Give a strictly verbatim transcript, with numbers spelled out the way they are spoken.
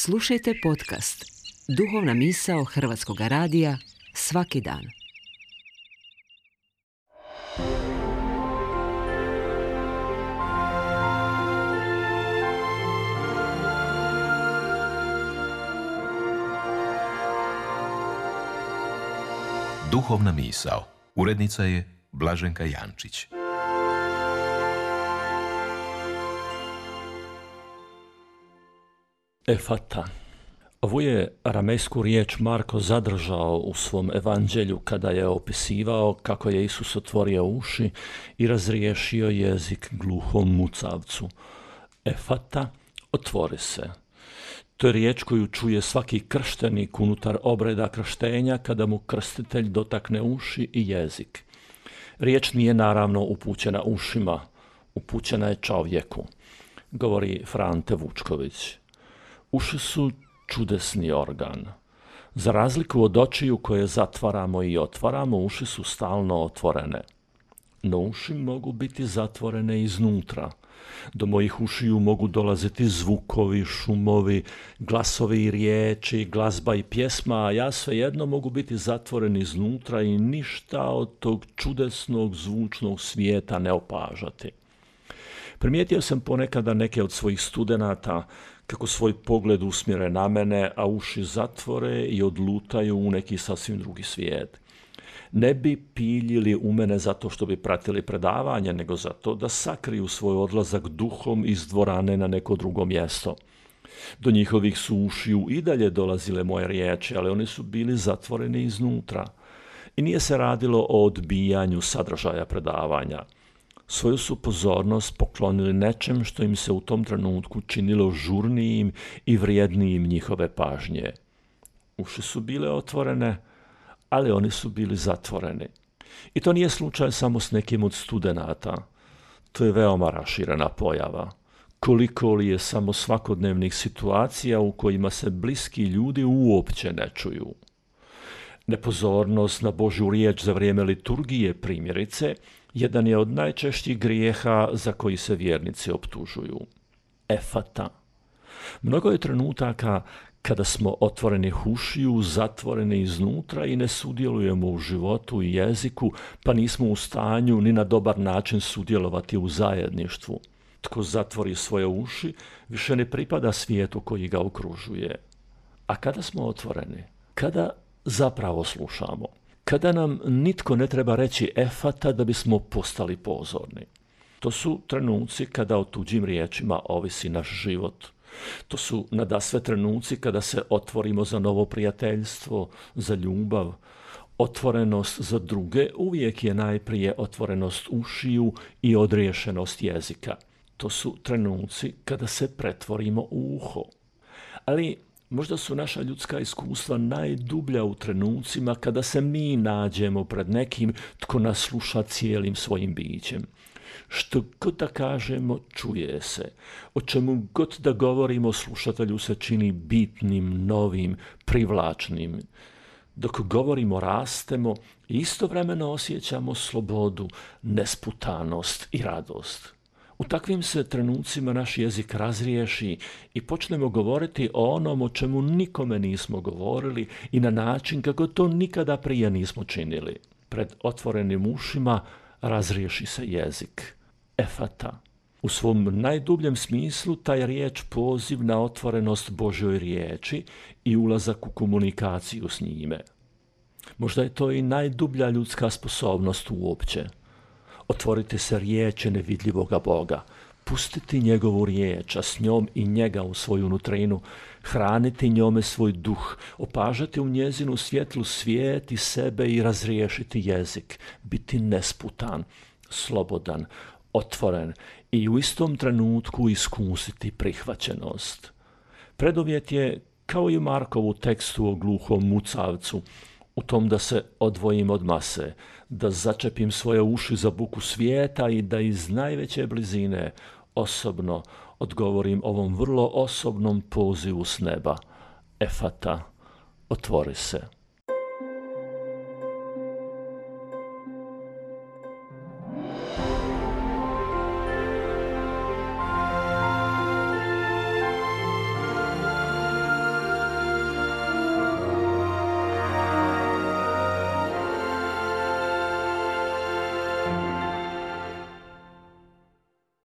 Slušajte podcast Duhovna misao Hrvatskog radija svaki dan. Duhovna misao. Urednica je Blaženka Jančić. Efata. Ovu je aramejsku riječ Marko zadržao u svom evanđelju kada je opisivao kako je Isus otvorio uši i razriješio jezik gluhom mucavcu. Efata, otvori se. To je riječ koju čuje svaki krštenik unutar obreda krštenja kada mu krstitelj dotakne uši i jezik. Riječ nije naravno upućena ušima, upućena je čovjeku, govori Frante Vučković. Uši su čudesni organ. Za razliku od očiju koje zatvaramo i otvaramo, uši su stalno otvorene. No uši mogu biti zatvorene iznutra. Do mojih ušiju mogu dolaziti zvukovi, šumovi, glasovi i riječi, glazba i pjesma, a ja svejedno mogu biti zatvoren iznutra i ništa od tog čudesnog zvučnog svijeta ne opažati. Primijetio sam ponekada neke od svojih studenata kako svoj pogled usmjere na mene, a uši zatvore i odlutaju u neki sasvim drugi svijet. Ne bi piljili u mene zato što bi pratili predavanje, nego zato da sakriju svoj odlazak duhom iz dvorane na neko drugo mjesto. Do njihovih su ušiju i dalje dolazile moje riječi, ali oni su bili zatvoreni iznutra. I nije se radilo o odbijanju sadržaja predavanja. Svoju su pozornost poklonili nečem što im se u tom trenutku činilo žurnijim i vrijednijim njihove pažnje. Uši su bile otvorene, ali oni su bili zatvoreni. I to nije slučaj samo s nekim od studenata. To je veoma raširena pojava. Koliko li je samo svakodnevnih situacija u kojima se bliski ljudi uopće ne čuju. Nepozornost na Božju riječ za vrijeme liturgije, primjerice, jedan je od najčešćih grijeha za koji se vjernici optužuju. Efata. Mnogo je trenutaka kada smo otvoreni ušiju, zatvoreni iznutra i ne sudjelujemo u životu i jeziku, pa nismo u stanju ni na dobar način sudjelovati u zajedništvu. Tko zatvori svoje uši, više ne pripada svijetu koji ga okružuje. A kada smo otvoreni? Kada zapravo slušamo? Kada nam nitko ne treba reći efata da bismo postali pozorni? To su trenuci kada o tuđim riječima ovisi naš život. To su nadasve trenuci kada se otvorimo za novo prijateljstvo, za ljubav. Otvorenost za druge uvijek je najprije otvorenost ušiju i odriješenost jezika. To su trenuci kada se pretvorimo u uho. Ali možda su naša ljudska iskustva najdublja u trenucima kada se mi nađemo pred nekim tko nas sluša cijelim svojim bićem. Što god da kažemo, čuje se. O čemu god da govorimo, slušatelju se čini bitnim, novim, privlačnim. Dok govorimo, rastemo i istovremeno osjećamo slobodu, nesputanost i radost. U takvim se trenucima naš jezik razriješi i počnemo govoriti o onom o čemu nikome nismo govorili i na način kako to nikada prije nismo činili. Pred otvorenim ušima razriješi se jezik. Efata. U svom najdubljem smislu taj riječ poziv na otvorenost Božjoj riječi i ulazak u komunikaciju s njime. Možda je to i najdublja ljudska sposobnost uopće. Otvoriti se riječi nevidljivoga Boga, pustiti njegovu riječ, a s njom i njega u svoju nutrinu, hraniti njome svoj duh, opažati u njezinu svjetlu svijet i sebe i razriješiti jezik, biti nesputan, slobodan, otvoren i u istom trenutku iskusiti prihvaćenost. Preduvjet je, kao i u Markovu tekstu o gluhom mucavcu, u tom da se odvojim od mase, da začepim svoje uši za buku svijeta i da iz najveće blizine osobno odgovorim ovom vrlo osobnom pozivu s neba. Efata, otvori se.